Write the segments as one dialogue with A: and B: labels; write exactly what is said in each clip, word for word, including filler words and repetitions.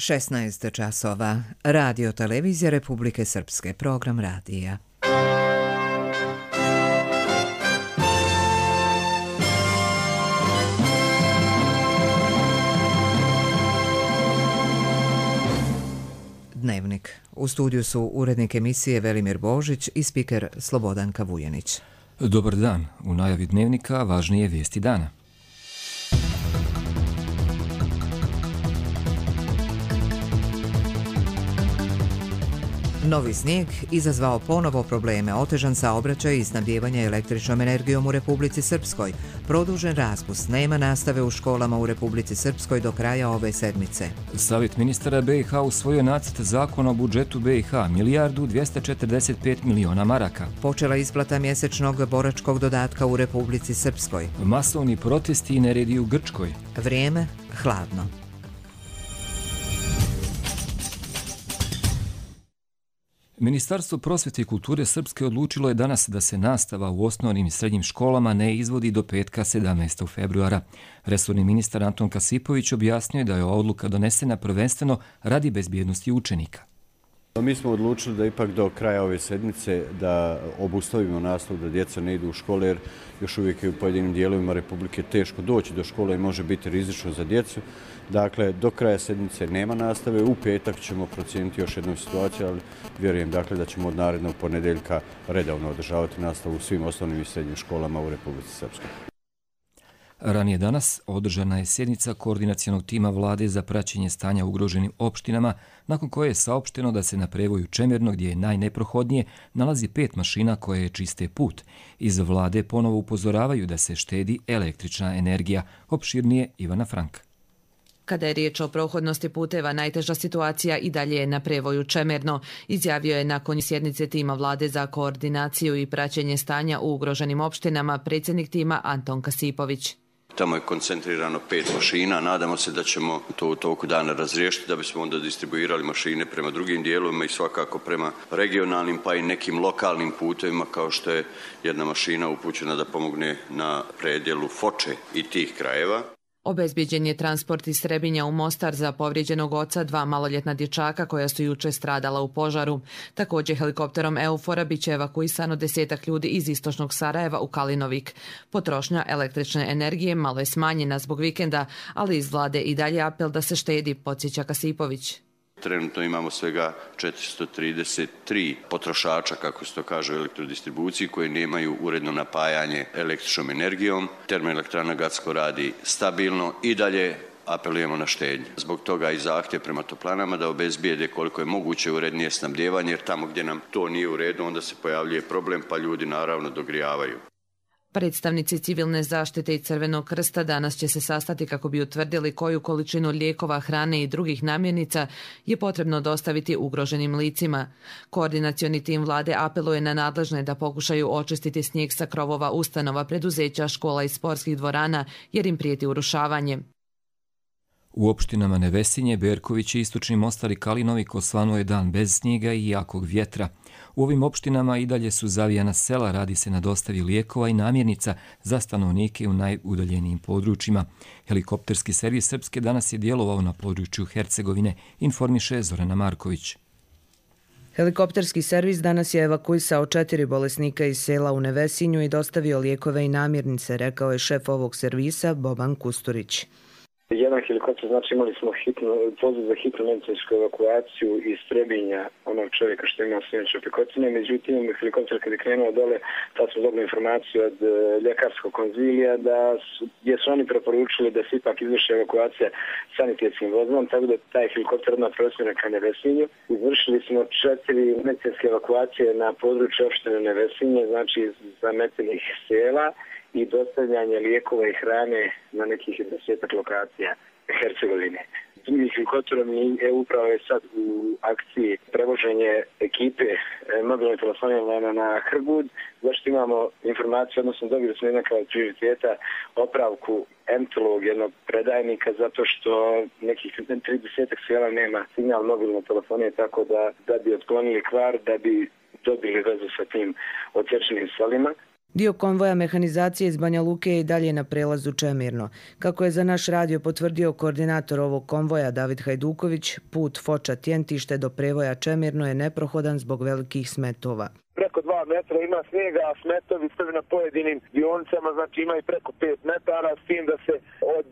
A: šesnaest časova. Radio televizija Republike Srpske. Program radija. Dnevnik. U studiju su urednik emisije Velimir Božić i spiker Slobodanka Vujanić.
B: Dobar dan. U najavi dnevnika važnije vijesti dana.
A: Novi snijeg izazvao ponovo probleme, otežan saobraćaj i snabdijevanje električnom energijom u Republici Srpskoj. Produžen raspust, nema nastave u školama u Republici Srpskoj do kraja ove sedmice.
B: Savjet ministara B i H usvojio nacrt zakona o budžetu B i H, milijardu dvjesto četrdeset pet miliona maraka.
A: Počela isplata mjesečnog boračkog dodatka u Republici Srpskoj.
B: Masovni protesti i neredi u Grčkoj.
A: Vrijeme hladno.
B: Ministarstvo prosvjete i kulture Srpske odlučilo je danas da se nastava u osnovnim i srednjim školama ne izvodi do petka sedamnaestog februara. Resorni ministar Anton Kasipović objasnio je da je ova odluka donesena prvenstveno radi bezbjednosti učenika.
C: Mi smo odlučili da ipak do kraja ove sedmice da obustavimo nastavu, da djeca ne idu u škole, jer još uvijek je u pojedinim dijelovima Republike teško doći do škole i može biti rizično za djecu. Dakle, do kraja sedmice nema nastave, u petak ćemo procijeniti još jednu situaciju, ali vjerujem dakle, da ćemo od narednog ponedjeljka redovno održavati nastavu u svim osnovnim i srednjim školama u Republici Srpskoj.
B: Ranije danas održana je sjednica koordinacionog tima vlade za praćenje stanja u ugroženim opštinama, nakon koje je saopšteno da se na prevoju Čemerno, gdje je najneprohodnije, nalazi pet mašina koje čiste put. Iz vlade ponovo upozoravaju da se štedi električna energija. Opširnije Ivana Frank.
D: Kada je riječ o prohodnosti puteva, najteža situacija i dalje je na prevoju Čemerno, izjavio je nakon sjednice tima vlade za koordinaciju i praćenje stanja u ugroženim opštinama predsjednik tima Anton Kasipović.
E: Tamo je koncentrirano pet mašina, nadamo se da ćemo to u toku dana razriješiti, da bismo onda distribuirali mašine prema drugim dijelovima i svakako prema regionalnim pa i nekim lokalnim putevima, kao što je jedna mašina upućena da pomogne na predjelu Foče i tih krajeva.
D: Obezbijeđen je transport iz Srebinja u Mostar za povrijeđenog oca dva maloljetna dječaka koja su juče stradala u požaru. Također helikopterom Eufora bit će evakuisano desetak ljudi iz istočnog Sarajeva u Kalinovik. Potrošnja električne energije malo je smanjena zbog vikenda, ali iz vlade i dalje apel da se štedi, podsjeća Kasipović.
E: Trenutno imamo svega četiristo trideset tri potrošača, kako se to kaže, u elektrodistribuciji koji nemaju uredno napajanje električnom energijom. Termoelektrana Gacko radi stabilno i dalje apelujemo na štednju. Zbog toga i zahtjev prema toplanama da obezbijede koliko je moguće urednije snabdijevanje, jer tamo gdje nam to nije u redu onda se pojavljuje problem pa ljudi naravno dogrijavaju.
D: Predstavnici civilne zaštite i Crvenog krsta danas će se sastati kako bi utvrdili koju količinu lijekova, hrane i drugih namirnica je potrebno dostaviti ugroženim licima. Koordinacioni tim vlade apeluje na nadležne da pokušaju očistiti snijeg sa krovova ustanova, preduzeća, škola i sportskih dvorana jer im prijeti urušavanje.
B: U opštinama Nevesinje, Berković i Istočni Mostar i Kalinovik osvanuo je dan bez snijega i jakog vjetra. U ovim opštinama i dalje su zavijana sela, radi se na dostavi lijekova i namirnica za stanovnike u najudaljenijim područjima. Helikopterski servis Srpske danas je djelovao na području Hercegovine, informiše Zorana Marković.
F: Helikopterski servis danas je evakuisao četiri bolesnika iz sela u Nevesinju i dostavio lijekove i namirnice, rekao je šef ovog servisa Boban Kusturić.
G: Jedan helikopter, znači imali smo hitno, poziv za hitnu medicinsku evakuaciju iz Trebinja onog čovjeka što ima svinjače opekotine. Međutim, helikopter kad je krenuo dole, tad smo dobili informaciju od e, ljekarskog konzilija da su, gdje su oni preporučili da se ipak izvrši evakuacija sanitetskim vozilom, tako da taj helikopter odmah preusmjeren ka Nevesinju. Izvršili smo četiri medicinske evakuacije na području opštine Nevesinje, znači zametenih sela, i dostavljanje lijekova i hrane na nekih desetak lokacija Hercegovine. Drugim helikopterom je upravo je sad u akciji prevoženje ekipe mobilne telefonije na Hrgud, zašto imamo informaciju, odnosno dobili smo jednaka od prioriteta opravku entolog jednog predajnika, zato što nekih trideset sela nema signal mobilne telefonije, tako da, da bi otklonili kvar, da bi dobili vezu sa tim odsječenim selima.
F: Dio konvoja mehanizacije iz Banja Luke je i dalje na prelazu Čemirno. Kako je za naš radio potvrdio koordinator ovog konvoja David Hajduković, put Foča-Tjentište do prevoja Čemirno je neprohodan zbog velikih smetova.
H: Preko dva metra ima snijega, a smetovi sve na pojedinim dionicama, znači ima i preko pet metara, s tim da se od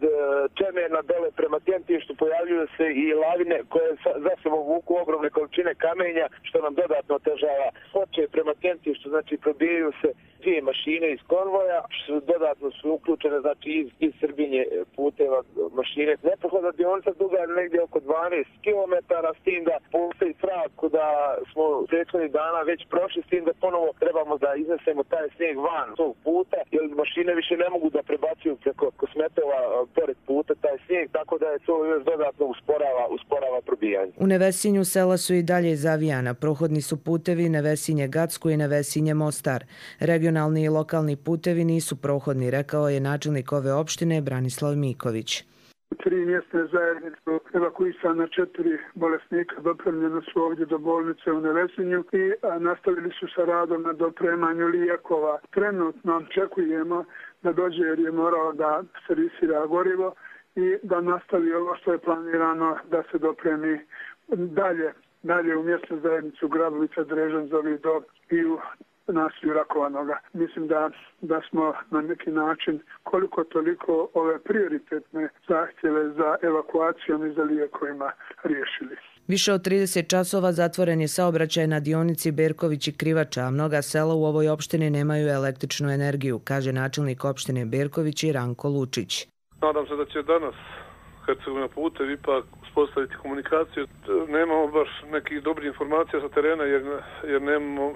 H: Čemerna dole prema Tjentištu pojavljuju se i lavine koje za sobom vuku ogromne količine kamenja, što nam dodatno otežava. Hoće prema Tjentištu, znači probijaju se dvije mašine iz konvoja, što dodatno su uključene, znači iz, iz Srbinje puteva mašine. Neprohodna dionica duga je negdje oko dvanaest kilometara, s tim da postoji strah da smo prethodnih dana već prošli, s tim da ponovo trebamo da iznesemo taj snijeg van tog puta, jer mašine više ne mogu da prebacuju preko smetova pored puta taj snijeg, tako da je to još dodatno usporava, usporava probijanje.
F: U Nevesinju sela su i dalje zavijana. Prohodni su putevi Nevesinje-Gacko i Nevesinje-Mostar. Regionalni i lokalni putevi nisu prohodni, rekao je načelnik ove opštine Branislav Miković.
I: Tri mjesne zajednice evakuisana, četiri bolesnika dopremljena su ovdje do bolnice u Nevesinju i nastavili su sa radom na dopremanju lijekova. Trenutno očekujemo da dođe jer je morao da servisira gorivo i da nastavi ovo što je planirano da se dopremi dalje, dalje u mjesnu zajednicu Grabovica, Drežan, Zovidov i u naselju Rakovanoga. Mislim da, da smo na neki način koliko toliko ove prioritetne zahtjeve za evakuacijom i za lijekovima riješili.
F: Više od trideset časova zatvoren je saobraćaj na dionici Berković i Krivača, a mnoga sela u ovoj opštini nemaju električnu energiju, kaže načelnik opštine Berković i Ranko Lučić.
J: Nadam se da će danas Hercegovina putevi ipak uspostaviti komunikaciju. Nemamo baš nekih dobrih informacija sa terena jer, jer nemamo e,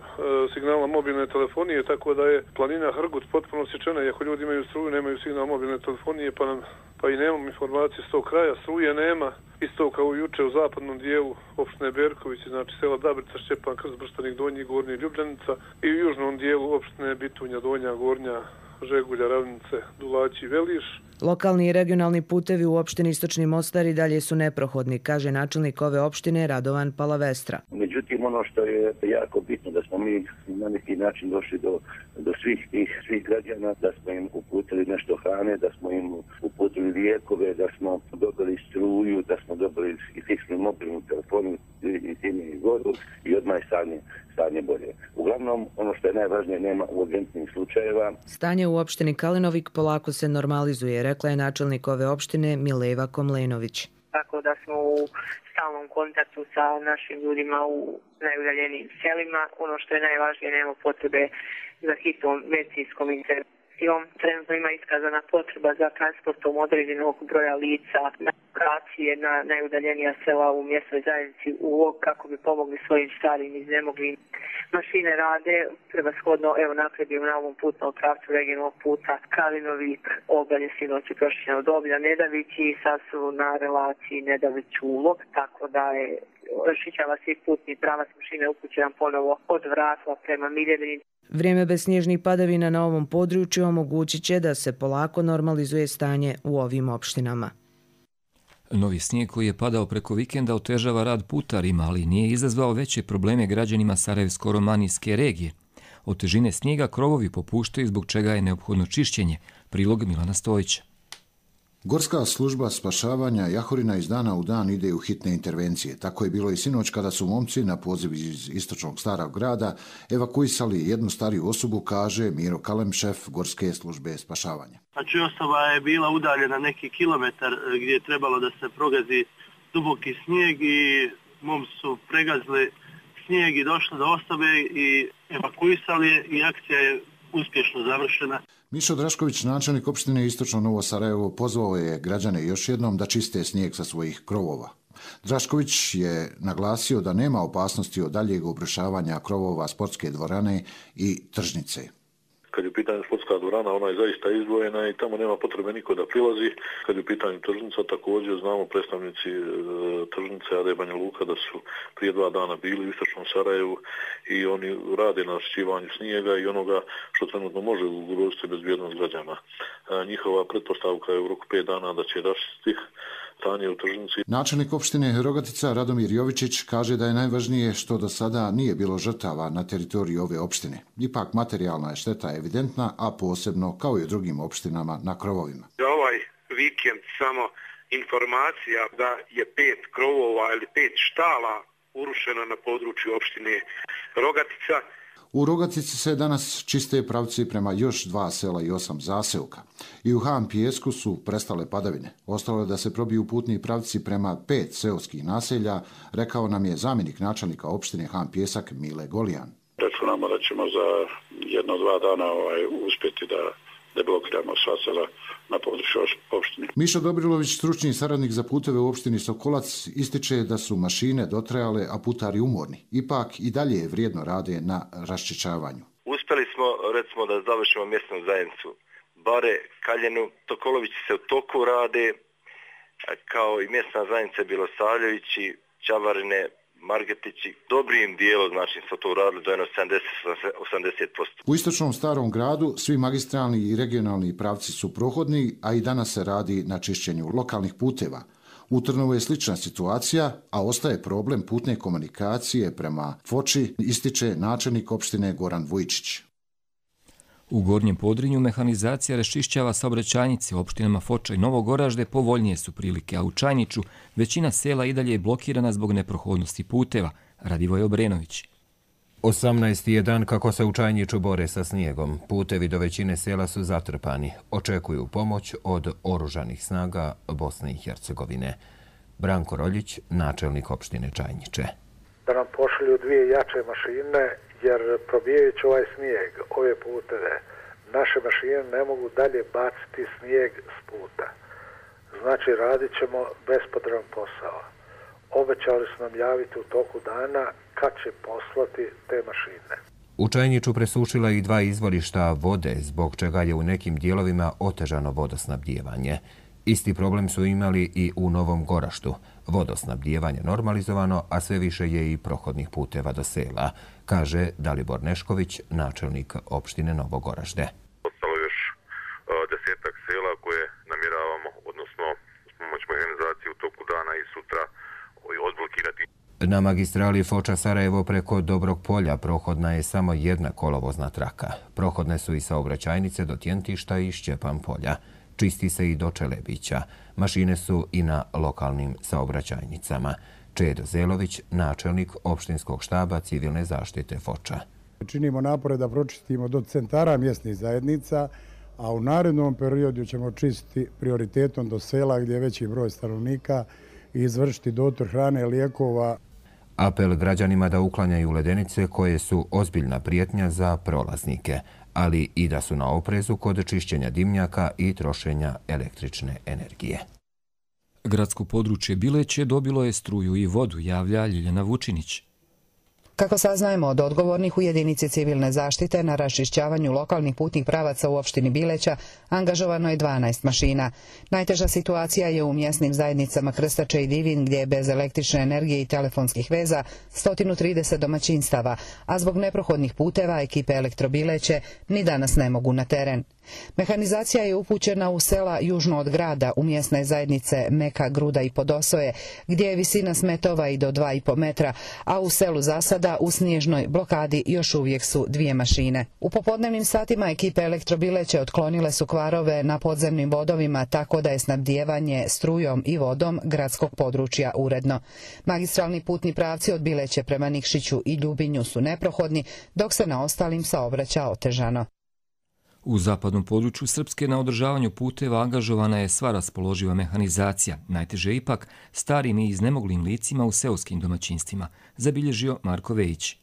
J: signala mobilne telefonije, tako da je planina Hrgut potpuno sječena. Iako ljudi imaju struju, nemaju signal mobilne telefonije, pa, nam, pa i nemamo informacije s tog kraja. Struje nema, isto kao juče u zapadnom dijelu opštine Berković, znači sela Dabrica, Šćepan, Krst, Brštanik, Donji, Gornji, Ljubljanica i u južnom dijelu opštine Bitunja, Donja, Gornja, Žegulja, Ravnice, Dulaći i Veliš.
F: Lokalni i regionalni putevi u opštini Istočni Mostar i dalje su neprohodni, kaže načelnik ove opštine Radovan Palavestra.
K: Međutim, ono što je jako bitno da smo mi na neki način došli do, do svih tih svih građana, da smo im uputili nešto hrane, da smo im uputili lijekove, da smo dobili struju, da smo dobili i fiksnu mobilnu telefonu i time i vodu i odmah je stanje, stanje bolje. Uglavnom, ono što je najvažnije, nema urgentnih slučajeva.
F: Stanje u opštini Kalinovik polako se normalizuje, rekla je načelnik ove opštine Mileva Komlenović.
L: Tako da smo u stalnom kontaktu sa našim ljudima u najudaljenijim selima. Ono što je najvažnije, nema potrebe za hitnom medicinskom intervencijom. Trenutno ima iskazana potreba za transportom određenog broja lica na lokacije na najudaljenija sela u mjesnoj zajednici u Log kako bi pomogli svojim starim i iznemoglim. Mašine rade, prevashodno evo napredujemo na ovom putnom pravcu regionalnog puta Kalinovik, Obalje, sinoć je prošljeno od Oblja, Nedavić i sad su na relaciji Nedavić-Ulog, tako da je rašićava se putni pravac mašine upućen ponovo od Vratla prema Miljevini.
F: Vrijeme bez snježnih padavina na ovom području omogućit će da se polako normalizuje stanje u ovim opštinama.
B: Novi snijeg koji je padao preko vikenda otežava rad putarima, ali nije izazvao veće probleme građanima Sarajevsko-romanijske regije. Od težine snijega krovovi popuštaju, zbog čega je neophodno čišćenje. Prilog Milana Stojića.
M: Gorska služba spašavanja Jahorina iz dana u dan ide u hitne intervencije. Tako je bilo i sinoć kada su momci na poziv iz istočnog starog grada evakuisali jednu stariju osobu, kaže Miro Kalem, šef Gorske službe spašavanja.
N: Znači osoba je bila udaljena neki kilometar gdje je trebalo da se progazi duboki snijeg i momci su pregazili snijeg i došli do osobe i evakuisali je i akcija je uspješno završena.
M: Mišo Drašković, načelnik opštine Istočno Novo Sarajevo, pozvao je građane još jednom da čiste snijeg sa svojih krovova. Drašković je naglasio da nema opasnosti od daljeg obrušavanja krovova sportske dvorane i tržnice.
O: Kad je u pitanju sportska dvorana, ona je zaista izdvojena i tamo nema potrebe niko da prilazi. Kad je u pitanju tržnica, također znamo predstavnici e, tržnice Ade Banja Luka da su prije dva dana bili u Istočnom Sarajevu i oni rade na raščišćivanju snijega i onoga što trenutno može ugroziti bezbjednost građana. E, njihova pretpostavka je u roku pet dana da će raščistiti stanje u tržnici.
M: Načelnik opštine Rogatica Radomir Jovičić kaže da je najvažnije što do sada nije bilo žrtava na teritoriji ove opštine. Ipak materijalna je šteta evidentna, a posebno kao i u drugim opštinama na krovovima.
P: Za ovaj vikend samo informacija da je pet krovova ili pet štala urušeno na području opštine Rogatica.
M: U Rogatici se danas čiste pravci prema još dva sela i osam zaseoka. I u Han Pijesku su prestale padavine. Ostalo je da se probiju putni pravci prema pet seoskih naselja, rekao nam je zamjenik načelnika opštine Han Pijesak Mile Golijan.
Q: Računamo da ćemo za jedno dva dana ovaj, uspjeti da deblokiramo sva sela na području opštine.
M: Mišo Dobrilović, stručni saradnik za puteve u opštini Sokolac, ističe da su mašine dotrajale, a putari umorni. Ipak i dalje vrijedno rade na raščišćavanju.
R: Uspjeli smo, recimo, da završimo mjesnu zajednicu Bare, Kaljenu, Tokolovići se u toku rade, kao i mjesna zajednica Bilosavljevići, Čavarine, Margetići, dobrim dijelom, znači smo to uradili do jedno sedamdeset do osamdeset posto.
M: U istočnom starom gradu svi magistralni i regionalni pravci su prohodni, a i danas se radi na čišćenju lokalnih puteva. U Trnovu je slična situacija, a ostaje problem putne komunikacije prema Foči, ističe načelnik opštine Goran Vujčić.
B: U Gornjem Podrinju mehanizacija raščišćava saobraćajnice. U opštinama Foča i Novo Goražde povoljnije su prilike, a u Čajniču većina sela i dalje je blokirana zbog neprohodnosti puteva. Radivoj Obrenović.
S: osamnaesti je dan kako se u Čajniču bore sa snijegom. Putevi do većine sela su zatrpani. Očekuju pomoć od oružanih snaga Bosne i Hercegovine. Branko Roljić, načelnik opštine Čajniče.
T: Da nam pošalju dvije jače mašine, jer probijajući ovaj snijeg, ove puteve, naše mašine ne mogu dalje baciti snijeg s puta. Znači, radit ćemo bespotreban posao. Obećali su nam javiti u toku dana kad će poslati te mašine.
S: U Čajniču presušila i dva izvorišta vode, zbog čega je u nekim dijelovima otežano vodosnabdijevanje. Isti problem su imali i u Novom Goraštu. Vodosnabdijevanje normalizovano, a sve više je i prohodnih puteva do sela, kaže Dalibor Nešković, načelnik opštine Novo Goražde.
U: Ostalo još desetak sela koje namjeravamo, odnosno s pomoć mehanizacije u toku dana i sutra odblokirati.
S: Na magistrali Foča-Sarajevo preko Dobrog polja prohodna je samo jedna kolovozna traka. Prohodne su i saobraćajnice do Tjentišta i Šćepan polja. Čisti se i do Čelebića. Mašine su i na lokalnim saobraćajnicama. Čedo Zelović, načelnik opštinskog štaba civilne zaštite Foča.
V: Činimo napore da pročistimo do centara mjesnih zajednica, a u narednom periodu ćemo čistiti prioritetom do sela gdje je veći broj stanovnika i izvršiti dotor hrane, lijekova.
S: Apel građanima da uklanjaju ledenice koje su ozbiljna prijetnja za prolaznike, ali i da su na oprezu kod čišćenja dimnjaka i trošenja električne energije.
B: Gradsko područje Bileće dobilo je struju i vodu, javlja Ljiljana Vučinić.
W: Kako saznajemo od odgovornih u jedinici civilne zaštite, na raščišćavanju lokalnih putnih pravaca u opštini Bileća angažovano je dvanaest mašina. Najteža situacija je u mjesnim zajednicama Krstače i Divin, gdje je bez električne energije i telefonskih veza sto trideset domaćinstava, a zbog neprohodnih puteva ekipe Elektrobileće ni danas ne mogu na teren. Mehanizacija je upućena u sela južno od grada, u mjesne zajednice Meka, Gruda i Podosoje, gdje je visina smetova i do dva i po metra, a u selu Zasada u snježnoj blokadi još uvijek su dvije mašine. U popodnevnim satima ekipe Elektrobileće otklonile su kvarove na podzemnim vodovima, tako da je snabdijevanje strujom i vodom gradskog područja uredno. Magistralni putni pravci od Bileće prema Nikšiću i Ljubinju su neprohodni, dok se na ostalim saobraća otežano.
B: U zapadnom području Srpske na održavanju puteva angažovana je sva raspoloživa mehanizacija, najteže ipak starim i iznemoglim licima u seoskim domaćinstvima, zabilježio Marko Vejić.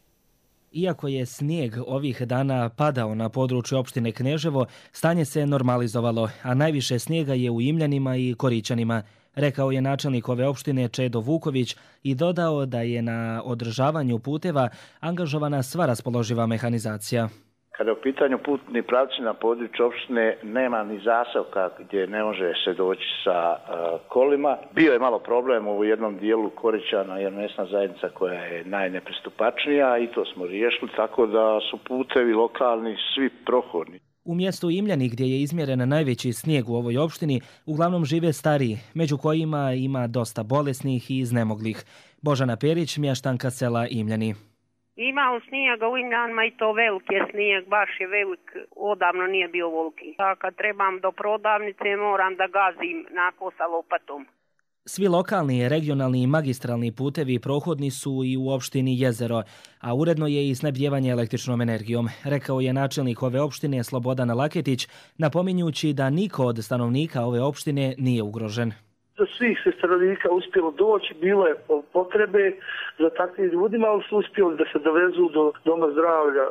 X: Iako je snijeg ovih dana padao na području opštine Kneževo, stanje se normalizovalo, a najviše snijega je u Imljanima i Korićanima, rekao je načelnik ove opštine Čedo Vuković i dodao da je na održavanju puteva angažovana sva raspoloživa mehanizacija.
Y: Kada je u pitanju putni pravci na području opštine, nema ni zaselka gdje ne može se doći sa uh, kolima. Bio je malo problem u jednom dijelu Korićana, jer mjesna zajednica koja je najnepristupačnija i to smo riješili, tako da su putevi lokalni svi prohodni.
X: U mjestu Imljani, gdje je izmjeren najveći snijeg u ovoj opštini, uglavnom žive stariji, među kojima ima dosta bolesnih i iznemoglih. Božana Perić, mještanka sela Imljani.
A: Imao snijega u Imljanima i to veliki je snijeg, baš je velik, odavno nije bio volki. A kad trebam do prodavnice moram da gazim nako sa lopatom.
X: Svi lokalni, regionalni i magistralni putevi prohodni su i u opštini Jezero, a uredno je i snabdijevanje električnom energijom, rekao je načelnik ove opštine Slobodan Laketić, napominjući da niko od stanovnika ove opštine nije ugrožen.
C: Do svih se stanovnika uspjelo doći, bilo je potrebe za takvim ljudima, ali su uspjeli da se dovezu do doma zdravlja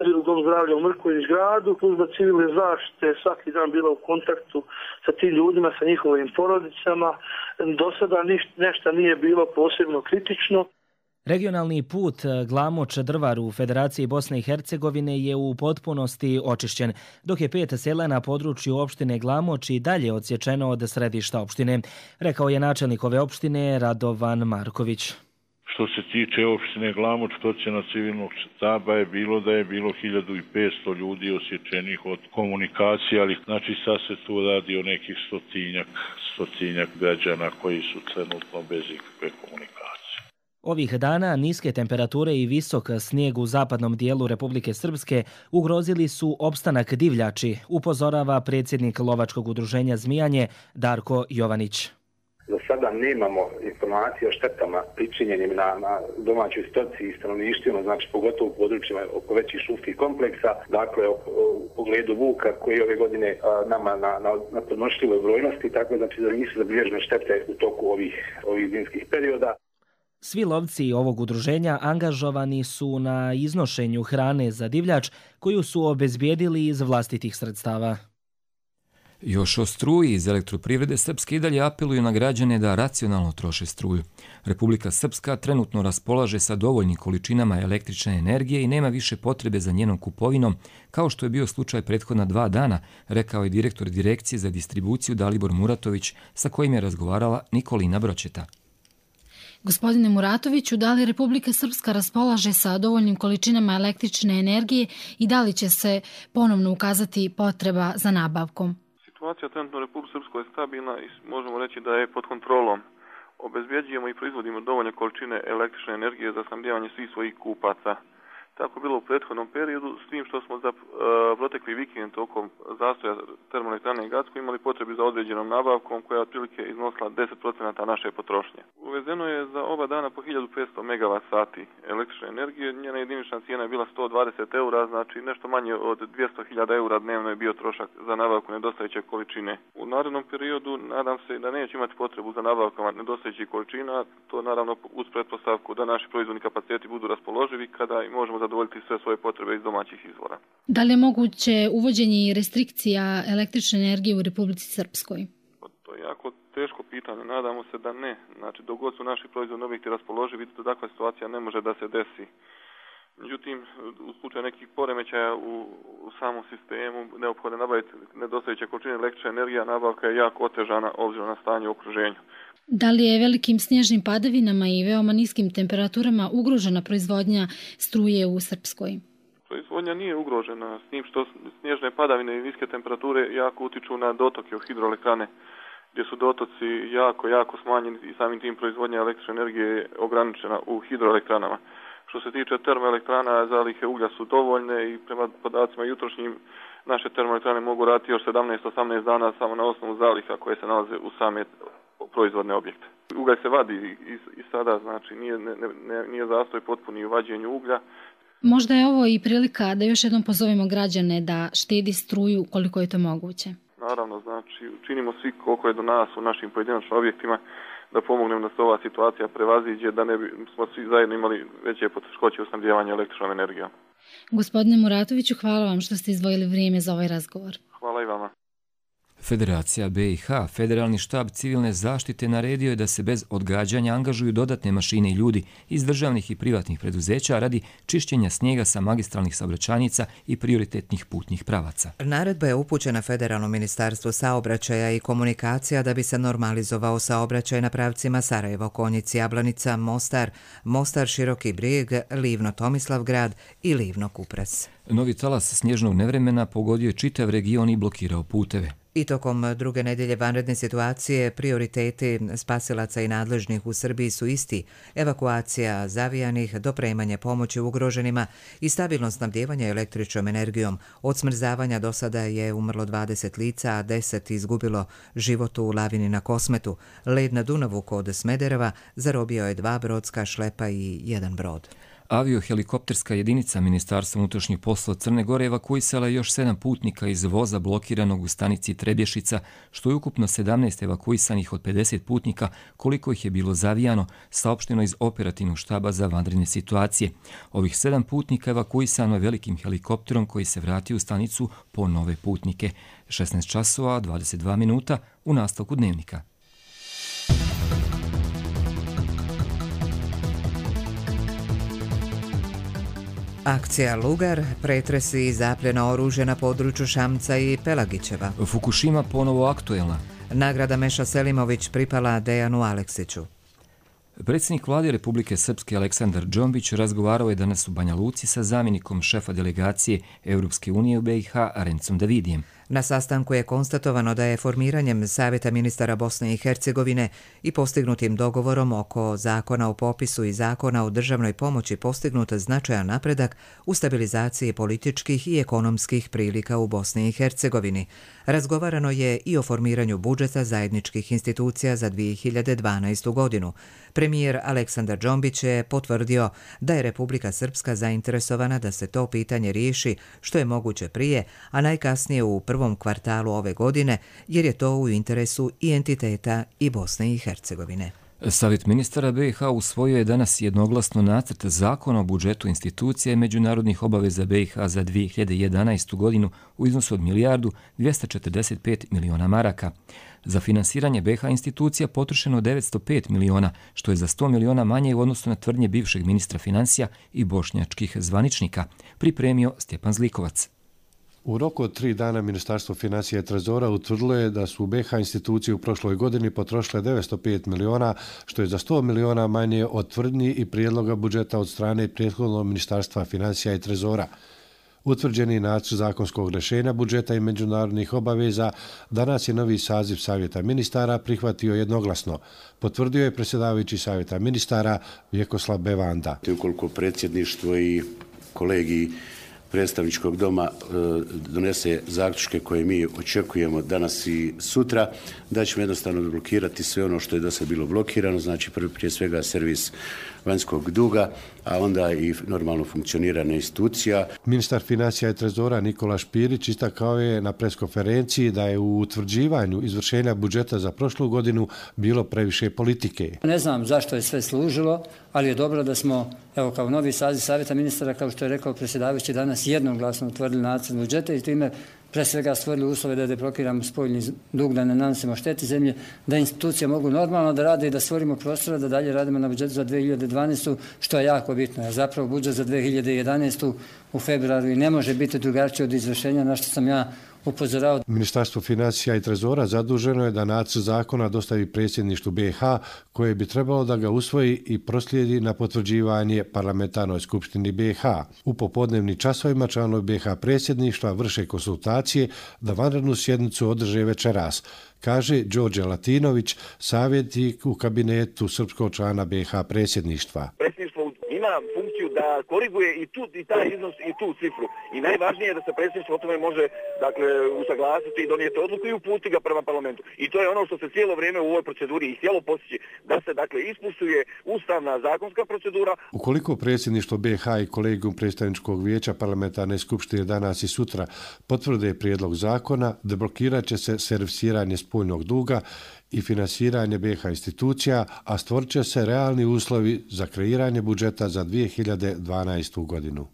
C: ili dom zdravlja u Mrković gradu. Služba civilne zaštite svaki dan bila u kontaktu sa tim ljudima, sa njihovim porodicama. Do sada nešto nije bilo posebno kritično.
X: Regionalni put Glamoč-Drvar u Federaciji Bosne i Hercegovine je u potpunosti očišćen, dok je pet sela na području opštine Glamoč i dalje odsječeno od središta opštine, rekao je načelnik ove opštine Radovan Marković.
D: Što se tiče opštine Glamoč, procjena civilnog štaba je bilo da je bilo hiljadu petsto ljudi osječenih od komunikacije, ali znači sad se tu radi o nekih stotinjak, stotinjak građana koji su trenutno bez ikakve komunikacije.
X: Ovih dana niske temperature i visok snijeg u zapadnom dijelu Republike Srpske ugrozili su opstanak divljači, upozorava predsjednik Lovačkog udruženja Zmijanje Darko Jovanić.
E: Za sada nemamo informacije o štetama pričinjenim na, na domaćoj stoci i stanovništvima, znači pogotovo u područjima oko većih šumskih kompleksa, dakle u, u pogledu vuka koji ove godine a, nama na, na, na podnošljivoj brojnosti, tako znači da nisu zabilježene štete u toku ovih, ovih zimskih perioda.
X: Svi lovci ovog udruženja angažovani su na iznošenju hrane za divljač koju su obezbijedili iz vlastitih sredstava.
B: Još o struji iz elektroprivrede Srpske i dalje apeluju na građane da racionalno troše struju. Republika Srpska trenutno raspolaže sa dovoljnim količinama električne energije i nema više potrebe za njenom kupovinom, kao što je bio slučaj prethodna dva dana, rekao je direktor Direkcije za distribuciju Dalibor Muratović, sa kojim je razgovarala Nikolina Bročeta.
G: Gospodine Muratoviću, da li Republika Srpska raspolaže sa dovoljnim količinama električne energije i da li će se ponovno ukazati potreba za nabavkom?
J: Situacija trenutno u Republici Srpskoj je stabilna i možemo reći da je pod kontrolom. Obezbjeđujemo i proizvodimo dovoljne količine električne energije za snabdijevanje svih svojih kupaca. Tako bilo u prethodnom periodu, s tim što smo za uh, protekli vikend tokom zastoja termoelektrane Gacko imali potrebu za određenom nabavkom koja je otprilike iznosila deset posto naše potrošnje. Uvezeno je za oba dana po hiljadu petsto megavat sati električne energije, njena jedinična cijena je bila sto dvadeset eura, znači nešto manje od dvjesto hiljada eura dnevno je bio trošak za nabavku nedostajeće količine. U narednom periodu nadam se da neće imati potrebu za nabavkama nedostajećih količina, to naravno uz pretpostavku da naši proizvodni kapaciteti budu raspoloživi kada i možemo zadovoljiti sve svoje potrebe iz domaćih izvora.
G: Da li je moguće uvođenje i restrikcija električne energije u Republici Srpskoj?
J: To je jako teško pitanje, nadamo se da ne. Znači, dok god su naši proizvodni objekti raspoloživi, to takva situacija ne može da se desi. Međutim, u slučaju nekih poremećaja u, u samom sistemu neophodno nabaviti nedostajeće količine električne energije, nabavka je jako otežana obzirom na stanje u okruženju.
G: Da li je velikim snježnim padavinama i veoma niskim temperaturama ugrožena proizvodnja struje u Srpskoj?
J: Proizvodnja nije ugrožena, s tim što snježne padavine i niske temperature jako utiču na dotoke u hidroelektrane, gdje su dotoci jako, jako smanjeni i samim tim proizvodnja električne energije je ograničena u hidroelektranama. Što se tiče termoelektrana, zalihe uglja su dovoljne i prema podacima jutrošnjim naše termoelektrane mogu raditi još sedamnaest do osamnaest dana samo na osnovu zaliha koje se nalaze u same proizvodne objekte. Ugalj se vadi i, i sada, znači nije, ne, ne, nije zastoj potpuni u vađenju uglja.
G: Možda je ovo i prilika da još jednom pozovemo građane da štedi struju koliko je to moguće.
J: Naravno, znači činimo svi koliko je do nas u našim pojedinačnim objektima da pomognemo da se ova situacija prevaziđe, da ne bi smo svi zajedno imali veće poteškoće u snabdijevanju električnom energijom.
G: Gospodine Muratoviću, hvala vam što ste izdvojili vrijeme za ovaj razgovor.
J: Hvala i vama.
B: Federacija B i H, Federalni štab civilne zaštite, naredio je da se bez odgađanja angažuju dodatne mašine i ljudi iz državnih i privatnih preduzeća radi čišćenja snijega sa magistralnih saobraćajnica i prioritetnih putnih pravaca.
F: Naredba je upućena Federalnom ministarstvu saobraćaja i komunikacija da bi se normalizovao saobraćaj na pravcima Sarajevo, Konjic, Jablanica, Mostar, Mostar, Široki Brijeg, Livno, Tomislavgrad i Livno, Kupres.
B: Novi talas snježnog nevremena pogodio je čitav region i blokirao puteve.
F: I tokom druge nedelje vanredne situacije prioriteti spasilaca i nadležnih u Srbiji su isti: evakuacija zavijanih, dopremanje pomoći ugroženima i stabilno snabdjevanje električnom energijom. Od smrzavanja do sada je umrlo dvadeset lica, a deset izgubilo život u lavini na Kosmetu. Led na Dunavu kod Smedereva zarobio je dva brodska šlepa i jedan brod.
B: Aviohelikopterska jedinica Ministarstva unutrašnjih poslova Crne Gore evakuisala je još sedam putnika iz voza blokiranog u stanici Trebješica, što je ukupno sedamnaest evakuisanih od pedeset putnika, koliko ih je bilo zavijano, saopšteno iz operativnog štaba za vanredne situacije. Ovih sedam putnika evakuisano je velikim helikopterom koji se vratio u stanicu po nove putnike. šesnaest časova dvadeset dva minuta u nastavku dnevnika.
F: Akcija Lugar, pretresi i zapljena oružja na području Šamca i Pelagićeva.
B: Fukushima ponovo aktuelna.
F: Nagrada Meša Selimović pripala Dejanu Aleksiću.
B: Predsjednik vlade Republike Srpske Aleksandar Džombić razgovarao je danas u Banja Luci sa zamjenikom šefa delegacije Europske unije u B i H Arencom Davidijem.
F: Na sastanku je konstatovano da je formiranjem Savjeta ministara Bosne i Hercegovine i postignutim dogovorom oko zakona o popisu i zakona o državnoj pomoći postignut značajan napredak u stabilizaciji političkih i ekonomskih prilika u Bosni i Hercegovini. Razgovarano je i o formiranju budžeta zajedničkih institucija za dvije hiljade dvanaestu. godinu. Premijer Aleksandar Džombić je potvrdio da je Republika Srpska zainteresovana da se to pitanje riješi što je moguće prije, a najkasnije u prvom kvartalu ove godine, jer je to u interesu i entiteta i Bosne i Hercegovine.
B: Savjet ministara B i H usvojio je danas jednoglasno nacrt zakona o budžetu institucija i međunarodnih obaveza B i H za dvije hiljade jedanaestu. godinu u iznosu od milijardu dvjesto četrdeset pet miliona maraka. Za finansiranje B i H institucija potrošeno devetsto pet miliona, što je za sto miliona manje u odnosu na tvrdnje bivšeg ministra financija i bošnjačkih zvaničnika, pripremio Stjepan Zlikovac.
H: U roku od tri dana Ministarstvo financija i trezora utvrdilo je da su B i H institucije u prošloj godini potrošile devetsto pet miliona, što je za sto miliona manje od tvrdnji i prijedloga budžeta od strane prethodnog Ministarstva financija i trezora. Utvrđeni nacrt zakonskog rješenja budžeta i međunarodnih obaveza danas je novi saziv Savjeta ministara prihvatio jednoglasno, potvrdio je predsjedavajući Savjeta ministara Vjekoslav Bevanda.
I: Ukoliko predsjedništvo i kolegi predstavničkog doma donese zaključke koje mi očekujemo danas i sutra, da ćemo jednostavno blokirati sve ono što je do sada bilo blokirano, znači prije svega servis vanjskog duga, a onda i normalno funkcioniranje institucija.
H: Ministar financija i trezora Nikola Špirić istakao je na preskonferenciji da je u utvrđivanju izvršenja budžeta za prošlu godinu bilo previše politike.
K: Ne znam zašto je sve služilo, ali je dobro da smo, evo kao novi saziv Savjeta ministara, kao što je rekao predsjedavajući, danas jednoglasno utvrdili nacrt budžeta i time pre svega stvorili uslove da deblokiramo spoljni dug, da ne nanosimo šteti zemlje, da institucije mogu normalno da rade i da stvorimo prostora da dalje radimo na budžetu za dvije hiljade dvanaestu. što je jako bitno. Jer zapravo budžet za dvije hiljade jedanaestu. u februaru i ne može biti drugačije od izvršenja, na što sam ja upozorao.
H: Ministarstvo financija i trezora zaduženo je da nacrt zakona dostavi predsjedništvu B i H, koje bi trebalo da ga usvoji i proslijedi na potvrđivanje parlamentarnoj skupštini B i H. U popodnevnim časovima članovi B i H predsjedništva vrše konsultacije da vanrednu sjednicu održe večeras, kaže Đorđe Latinović, savjetnik u kabinetu srpskog člana B i H predsjedništva.
L: Ima funkciju da koriguje i tu i taj iznos i tu cifru. I najvažnije je da se predsjedništvo o tome može dakle usaglasiti i donijeti odluku i uputiti ga prema parlamentu. I to je ono što se cijelo vrijeme u ovoj proceduri i htjelo postići, da se dakle ispustuje ustavna zakonska procedura.
H: Ukoliko predsjedništvo B i H i kolegijum predstavničkog vijeća parlamentarne skupštine danas i sutra potvrde prijedlog zakona, deblokirat će se servisiranje spoljnog duga i finansiranje B i H institucija, a stvorit će se realni uslovi za kreiranje budžeta za dvije hiljade dvanaestu. godinu.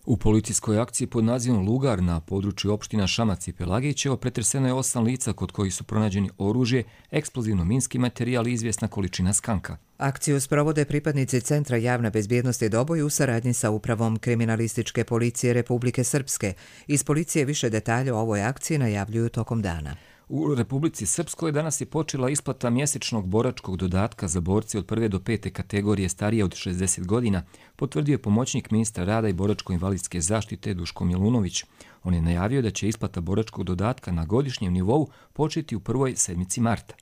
B: U policijskoj akciji pod nazivom Lugar na području opština Šamac i Pelagićevo pretreseno je osam lica kod kojih su pronađeni oružje, eksplozivno-minski materijal i izvjesna količina skanka.
F: Akciju sprovode pripadnici Centra javne bezbjednosti Doboj u saradnji sa Upravom kriminalističke policije Republike Srpske. Iz policije više detalja o ovoj akciji najavljuju tokom dana.
B: U Republici Srpskoj danas je počela isplata mjesečnog boračkog dodatka za borce od prve do pete kategorije starije od šezdeset godina, potvrdio je pomoćnik ministra rada i boračko-invalidske zaštite Duško Milunović. On je najavio da će isplata boračkog dodatka na godišnjem nivou početi u prvoj sedmici marta.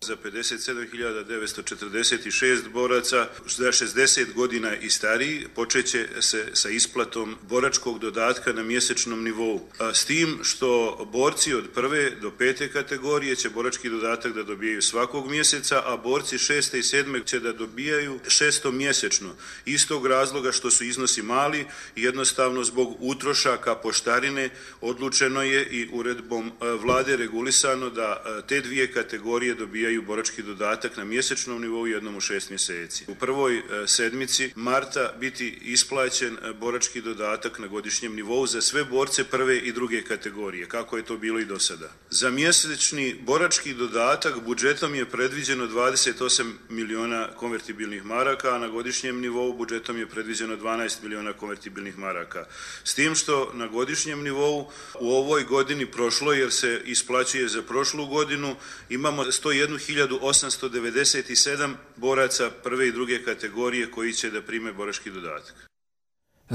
N: Za pedeset sedam hiljada devetsto četrdeset šest boraca za šezdeset godina i stariji počeće se sa isplatom boračkog dodatka na mjesečnom nivou. A s tim što borci od prve do pete kategorije će borački dodatak da dobijaju svakog mjeseca, a borci šeste i sedme će da dobijaju šesto mjesečno. Istog razloga što su iznosi mali i jednostavno zbog utrošaka poštarine odlučeno je i uredbom vlade regulisano da te dvije kategorije dobijaju borački dodatak na mjesečnom nivou jednom u šest mjeseci. U prvoj sedmici marta biti isplaćen borački dodatak na godišnjem nivou za sve borce prve i druge kategorije, kako je to bilo i do sada. Za mjesečni borački dodatak budžetom je predviđeno dvadeset osam miliona konvertibilnih maraka, a na godišnjem nivou budžetom je predviđeno dvanaest miliona konvertibilnih maraka. S tim što na godišnjem nivou u ovoj godini prošlo, jer se isplaćuje za prošlu godinu, imamo sto jednu hiljadu osamsto devedeset sedam boraca prve i druge kategorije koji će da prime borački dodatak.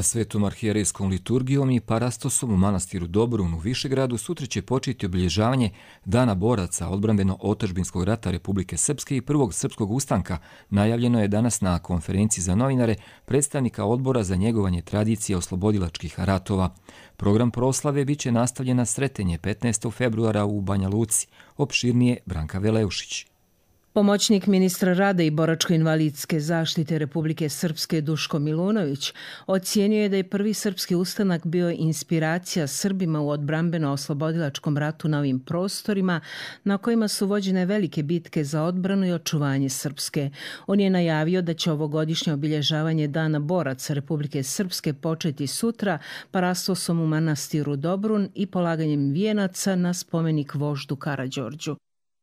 B: Svetom arhijerejskom liturgijom i parastosom u manastiru Dobrun u Višegradu sutra će početi obilježavanje Dana boraca odbrambeno-otadžbinskog rata Republike Srpske i prvog srpskog ustanka. Najavljeno je danas na konferenciji za novinare predstavnika odbora za njegovanje tradicije oslobodilačkih ratova. Program proslave biće nastavljena sretenje petnaestog februara u Banja Luci. Opširnije Branka Veleušić.
O: Pomoćnik ministra rada i boračko-invalidske zaštite Republike Srpske Duško Milunović ocijenio je da je prvi srpski ustanak bio inspiracija Srbima u odbrambeno-oslobodilačkom ratu na ovim prostorima na kojima su vođene velike bitke za odbranu i očuvanje Srpske. On je najavio da će ovogodišnje obilježavanje Dana boraca Republike Srpske početi sutra parastosom u manastiru Dobrun i polaganjem vijenaca na spomenik voždu Karađorđu.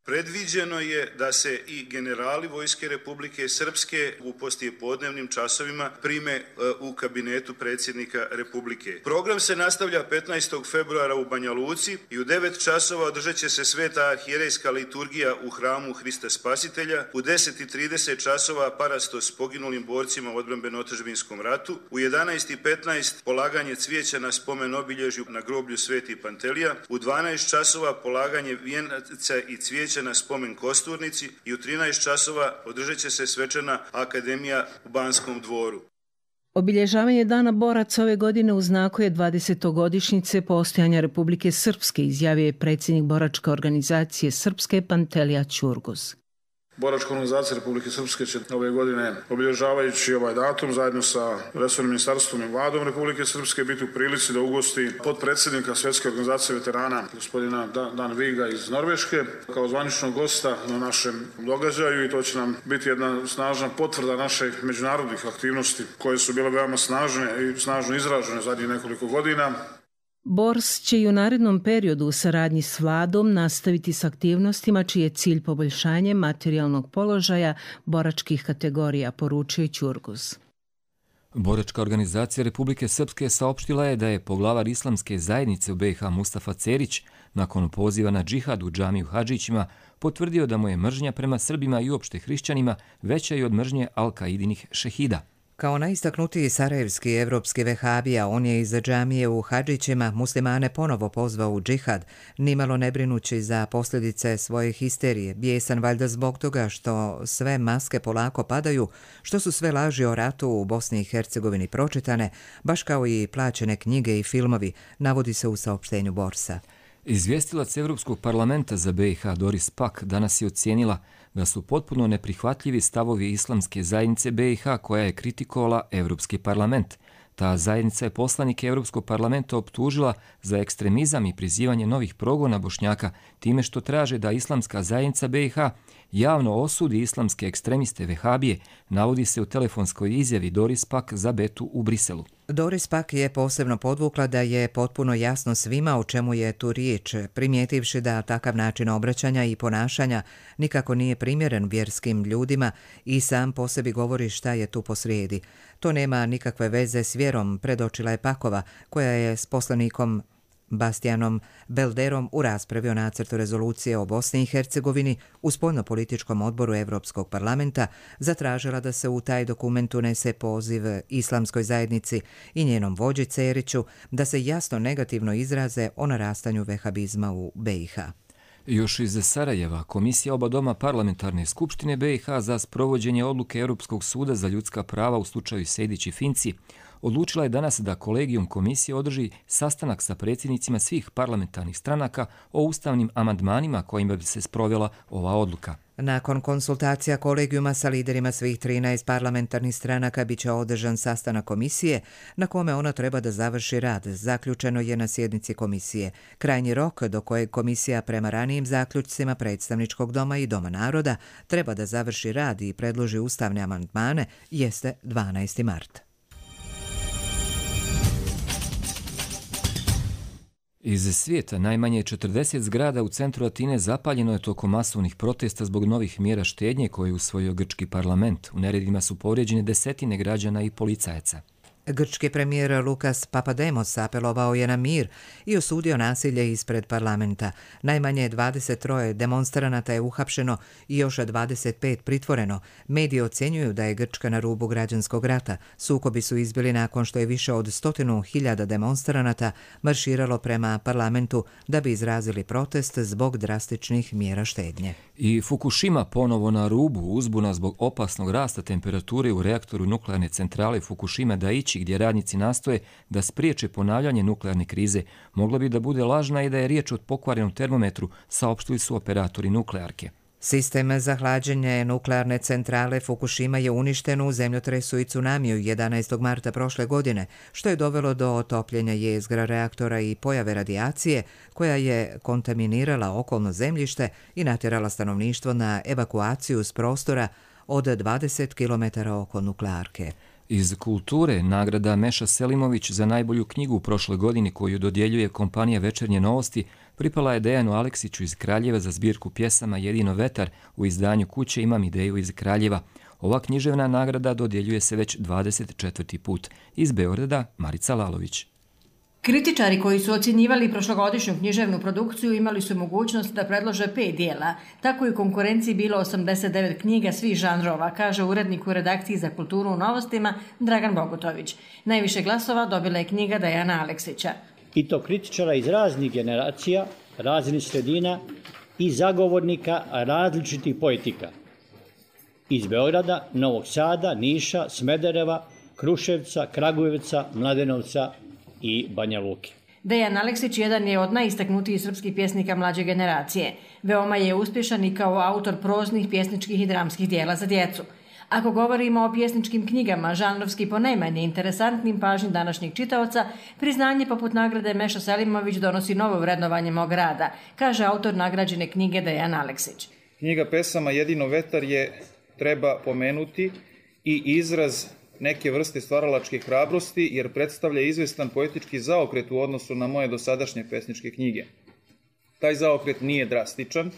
N: Predviđeno je da se i generali Vojske Republike Srpske u poslijepodnevnim časovima prime u kabinetu predsjednika Republike. Program se nastavlja petnaestog februara u Banja Luci i u devet časova održat će se sveta arhijerejska liturgija u hramu Hrista Spasitelja, u deset i trideset časova parastos s poginulim borcima u odbrambeno-otadžbinskom ratu, u jedanaest i petnaest polaganje cvijeća na spomen obilježju na groblju Sveti Pantelija, u dvanaest časova polaganje vijenaca i cvijeća na spomen Kosturnici i u trinaest časova održat će se svečana akademija u Banskom dvoru.
O: Obilježavanje Dana boraca ove godine u znaku je dvadesetogodišnjice postojanja Republike Srpske, izjavio je predsjednik boračke organizacije Srpske Pantelija Ćurguz.
P: Boračka organizacija Republike Srpske će ove godine, obilježavajući ovaj datum, zajedno sa resornim ministarstvom i vladom Republike Srpske, biti u prilici da ugosti potpredsjednika Svjetske organizacije veterana, gospodina Dan Viga iz Norveške, kao zvaničnog gosta na našem događaju, i to će nam biti jedna snažna potvrda naših međunarodnih aktivnosti koje su bile veoma snažne i snažno izražene zadnjih nekoliko godina.
O: Bors će i u narednom periodu u saradnji s vladom nastaviti s aktivnostima čiji je cilj poboljšanje materijalnog položaja boračkih kategorija, poručio Ćurguz.
B: Boračka organizacija Republike Srpske saopštila je da je poglavar islamske zajednice u B i H Mustafa Cerić nakon poziva na džihad u džamiju Hadžićima potvrdio da mu je mržnja prema Srbima i uopšte hrišćanima veća i od mržnje Al-Kaidinih šehida.
F: Kao najistaknutiji sarajevski evropski vehabija, on je iza džamije u Hadžićima muslimane ponovo pozvao u džihad, nimalo ne brinući za posljedice svoje histerije, bijesan valjda zbog toga što sve maske polako padaju, što su sve laži o ratu u Bosni i Hercegovini pročitane, baš kao i plaćene knjige i filmovi, navodi se u saopštenju Borsa.
B: Izvjestilac Evropskog parlamenta za B i H Doris Pack danas je ocijenila da su potpuno neprihvatljivi stavovi islamske zajednice B i H koja je kritikovala Evropski parlament. Ta zajednica je poslanike Evropskog parlamenta optužila za ekstremizam i prizivanje novih progona Bošnjaka time što traže da islamska zajednica B i H javno osudi islamske ekstremiste vehabije, navodi se u telefonskoj izjavi Doris Pack za Betu u Briselu.
F: Doris pak je posebno podvukla da je potpuno jasno svima o čemu je tu riječ, primijetivši da takav način obraćanja i ponašanja nikako nije primjeren vjerskim ljudima i sam po sebi govori šta je tu posrijedi. To nema nikakve veze s vjerom, predočila je Pakova, koja je s poslanikom Bastianom Belderom u raspravi o nacrtu rezolucije o Bosni i Hercegovini u spoljnopolitičkom odboru Europskog parlamenta zatražila da se u taj dokument unese poziv islamskoj zajednici i njenom vođi Ceriću da se jasno negativno izraze o narastanju vehabizma u be i ha.
B: Još iz Sarajeva, Komisija oba doma parlamentarne skupštine be i ha za sprovođenje odluke Europskog suda za ljudska prava u slučaju Sejdić i Finci odlučila je danas da kolegijum komisije održi sastanak sa predsjednicima svih parlamentarnih stranaka o ustavnim amandmanima kojima bi se sprovela ova odluka.
F: Nakon konsultacija kolegijuma sa liderima svih trinaest parlamentarnih stranaka biće održan sastanak komisije na kome ona treba da završi rad, zaključeno je na sjednici komisije. Krajnji rok do kojeg komisija prema ranijim zaključcima predstavničkog doma i Doma naroda treba da završi rad i predloži ustavne amandmane jeste dvanaesti mart.
B: Iz svijeta najmanje četrdeset zgrada u centru Atine zapaljeno je tokom masovnih protesta zbog novih mjera štednje koje je usvojio grčki parlament. U neredima su povrijeđene desetine građana i policajaca.
F: Grčki premijer Lukas Papademos apelovao je na mir i osudio nasilje ispred parlamenta. Najmanje dvadeset tri demonstranata je uhapšeno i još dvadeset pet pritvoreno. Mediji ocjenjuju da je Grčka na rubu građanskog rata. Sukobi su izbili nakon što je više od stotinu hiljada demonstranata marširalo prema parlamentu da bi izrazili protest zbog drastičnih mjera štednje.
B: I Fukushima ponovo na rubu, uzbuna zbog opasnog rasta temperature u reaktoru nuklearne centrale Fukushima Daiichi, gdje radnici nastoje da spriječe ponavljanje nuklearne krize, mogla bi da bude lažna i da je riječ o pokvarenom termometru, saopštili su operatori nuklearke.
F: Sistem za hlađenje nuklearne centrale Fukushima je uništen u zemljotresu i tsunamiju jedanaestog marta prošle godine, što je dovelo do otopljenja jezgra reaktora i pojave radijacije koja je kontaminirala okolno zemljište i natjerala stanovništvo na evakuaciju s prostora od dvadeset kilometara oko nuklearke.
B: Iz kulture nagrada Meša Selimović za najbolju knjigu u prošloj godini koju dodjeljuje kompanija Večernje novosti pripala je Dejanu Aleksiću iz Kraljeva za zbirku pjesama Jedino vetar u izdanju Kuće imam ideju iz Kraljeva. Ova književna nagrada dodjeljuje se već dvadeset četvrti put. Iz Beograda Marica Lalović.
M: Kritičari koji su ocjenjivali prošlogodišnju književnu produkciju imali su mogućnost da predlože pet dijela. Tako je u konkurenciji bilo osamdeset devet knjiga svih žanrova, kaže urednik u redakciji za kulturu u Novostima Dragan Bogutović. Najviše glasova dobila je knjiga Dejana Aleksića.
Q: I to kritičara iz raznih generacija, raznih sredina i zagovornika različitih poetika. Iz Beograda, Novog Sada, Niša, Smedereva, Kruševca, Kragujevca, Mladenovca i Banja Luke.
M: Dejan Aleksić jedan je od najistaknutijih srpskih pjesnika mlađe generacije. Veoma je uspješan i kao autor proznih, pjesničkih i dramskih dijela za djecu. Ako govorimo o pjesničkim knjigama, žanrovski ponajmanje interesantnim pažnji današnjeg čitaoca, priznanje poput nagrade Meša Selimović donosi novo vrednovanje mog rada, kaže autor nagrađene knjige Dejan Aleksić.
R: Knjiga pesama Jedino vetar je, treba pomenuti, i izraz neke vrste stvaralačke hrabrosti, jer predstavlja izvestan poetički zaokret u odnosu na moje dosadašnje pesničke knjige. Taj zaokret nije drastičan,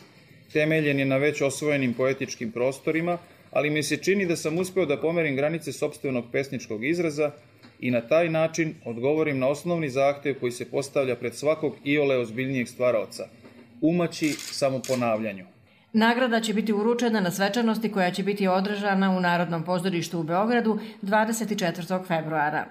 R: temeljen je na već osvojenim poetičkim prostorima, ali mi se čini da sam uspeo da pomerim granice sopstvenog pesničkog izraza i na taj način odgovorim na osnovni zahtev koji se postavlja pred svakog iole ozbiljnijeg stvaraoca – umaći samoponavljanju.
M: Nagrada će biti uručena na svečanosti koja će biti održana u Narodnom pozorištu u Beogradu dvadeset četvrtog februara.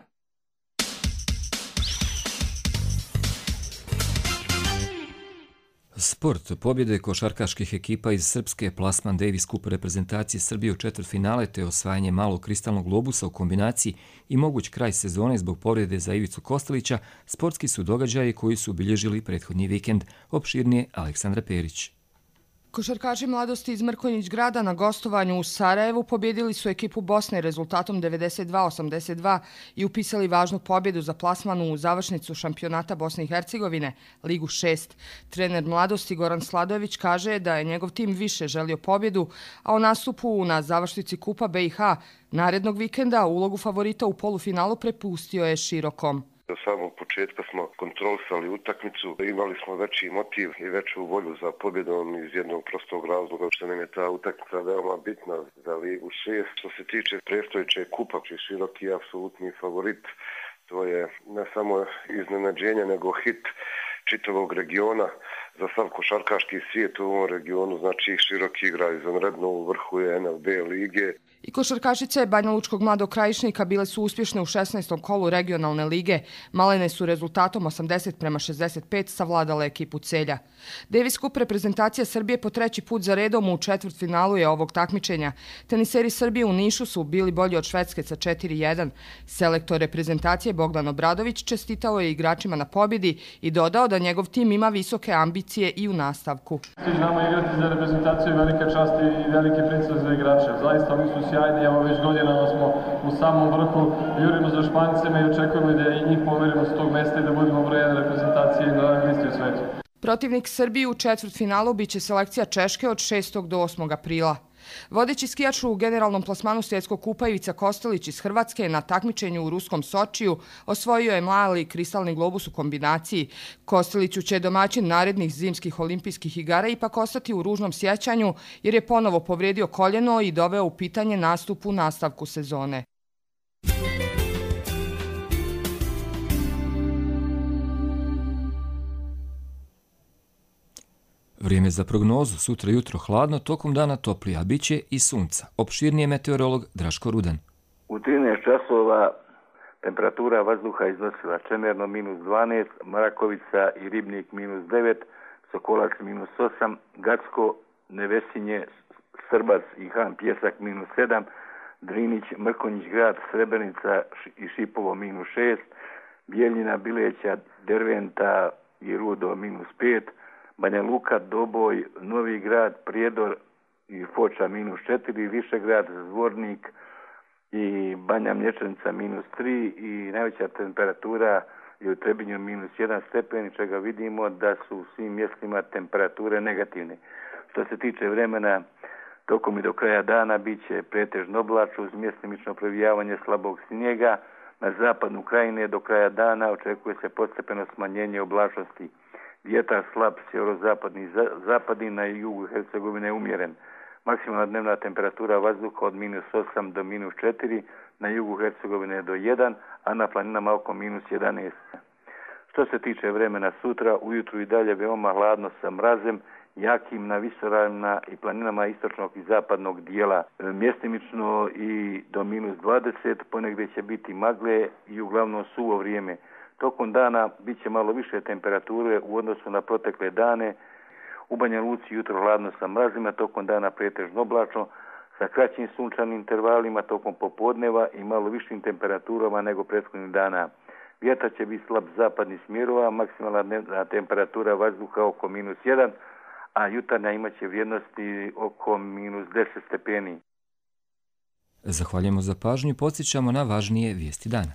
B: Sport. Pobjede košarkaških ekipa iz srpske Plasman Davis Cup reprezentacije Srbije u četvrtfinale te osvajanje malog kristalnog globusa u kombinaciji i moguć kraj sezone zbog povrede za Ivicu Kostelića, sportski su događaji koji su obilježili prethodni vikend. Opširnije Aleksandra Perić.
S: Košarkaši mladosti iz Mrkonjić grada na gostovanju u Sarajevu pobjedili su ekipu Bosne rezultatom devedeset dva osamdeset dva i upisali važnu pobjedu za plasmanu u završnicu šampionata Bosne i Hercegovine, Ligu šest. Trener mladosti Goran Sladojević kaže da je njegov tim više želio pobjedu, a o nastupu na završnici Kupa B i H narednog vikenda ulogu favorita u polufinalu prepustio je Širokom.
T: Do samog početka smo kontrolisali utakmicu, imali smo veći motiv i veću volju za pobjedom iz jednog prostog razloga što nam je ta utakmica veoma bitna za Ligu šest. Što se tiče predstojeće Kupa, Široki je apsolutni favorit. To je ne samo iznenađenje, nego hit čitavog regiona. Za sav košarkaški svijet u ovom regionu, znači Široki igra izvanredno, u vrhu je N L B lige.
S: I košarkašice Banja Lučkog mladog Krajišnika bile su uspješne u šesnaestom kolu regionalne lige. Malene su rezultatom osamdeset prema šezdeset pet savladale ekipu Celja. Davis Cup reprezentacija Srbije po treći put za redom u četvrtfinalu je ovog takmičenja. Teniseri Srbije u Nišu su bili bolji od Švedske sa četiri jedan. Selektor reprezentacije Bogdan Obradović čestitao je igračima na pobjedi i dodao da njegov tim ima visoke ambicije i u nastavku.
U: Znamo igrati za reprezentaciju i velika čast i veliki pritisak za igrače. Zaista oni su sjajni, evo već godinama smo u samom vrhu, jurimo za Špancima i očekujemo da i njih pomerimo s tog mesta i da budemo broj jedan reprezentacije na rang listi u svetu.
S: Protivnik Srbije u četvrtfinalu biće selekcija Češke od šestog do osmog aprila. Vodeći skijač u generalnom plasmanu svjetskog kupa Ivica Kostelić iz Hrvatske na takmičenju u ruskom Sočiju osvojio je mali kristalni globus u kombinaciji. Kosteliću će domaćin narednih zimskih olimpijskih igara ipak ostati u ružnom sjećanju jer je ponovo povrijedio koljeno i doveo u pitanje nastup u nastavku sezone.
B: Vrijeme za prognozu, sutra jutro hladno, tokom dana toplije, a bit će i sunca. Opširnije meteorolog Draško Rudan.
V: U trinaest časova temperatura vazduha iznosila Čemerno minus dvanaest, Marakovica i Ribnik minus devet, Sokolac minus osam, Gacko, Nevesinje, Srbac i Han Pjesak minus sedam, Drinić, Mrkonjić grad, Srebrenica i Šipovo minus šest, Bijeljina, Bileća, Derventa i Rudo minus pet, Banja Luka, Doboj, Novi grad, Prijedor i Foča minus četiri, Višegrad, Zvornik i Banja Mlječanica minus tri i najveća temperatura je u Trebinju minus jedan stepen, čega vidimo da su u svim mjestima temperature negativne. Što se tiče vremena, tokom i do kraja dana bit će pretežno oblačno uz mjestimično previjavanje slabog snijega. Na zapadu Krajine do kraja dana očekuje se postepeno smanjenje oblačnosti. Vjetar slab sjeverozapadni zapadni, na jugu Hercegovine umjeren. Maksimalna dnevna temperatura vazduha od minus osam do minus četiri, na jugu Hercegovine do jedan, a na planinama oko minus jedanaest. Što se tiče vremena sutra, ujutru i dalje veoma hladno sa mrazem, jakim na visoravnima i planinama istočnog i zapadnog dijela. Mjestimično i do minus dvadeset, ponegdje će biti magle i uglavnom suvo vrijeme. Tokom dana bit će malo više temperature u odnosu na protekle dane. U Banja Luci jutro hladno sa mrazima, tokom dana pretežno oblačno, sa kraćim sunčanim intervalima tokom popodneva i malo višim temperaturama nego prethodnih dana. Vjetar će biti slab zapadnih smjerova, maksimalna dnevna temperatura vazduha oko minus jedan, a jutarnja imaće vrijednosti oko minus deset stepeni.
B: Zahvaljujemo za pažnju i podsjećamo na važnije vijesti dana.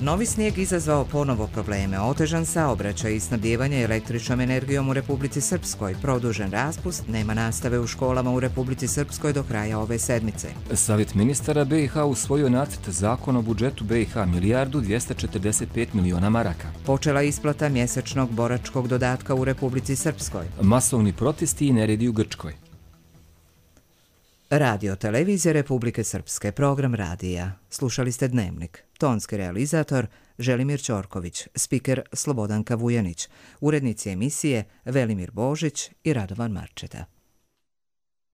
F: Novi snijeg izazvao ponovo probleme, otežan saobraćaj i snabdijevanje električnom energijom u Republici Srpskoj, produžen raspust, nema nastave u školama u Republici Srpskoj do kraja ove sedmice.
B: Savjet ministara B i H usvojio nacrt zakona o budžetu B i H milijardu dvjesto četrdeset pet miliona maraka.
F: Počela isplata mjesečnog boračkog dodatka u Republici Srpskoj.
B: Masovni protesti i neredi u Grčkoj.
F: Radio Televizije Republike Srpske, program radija. Slušali ste Dnevnik. Tonski realizator Želimir Ćorković, spiker Slobodanka Vujanić, urednici emisije Velimir Božić i Radovan Marčeta.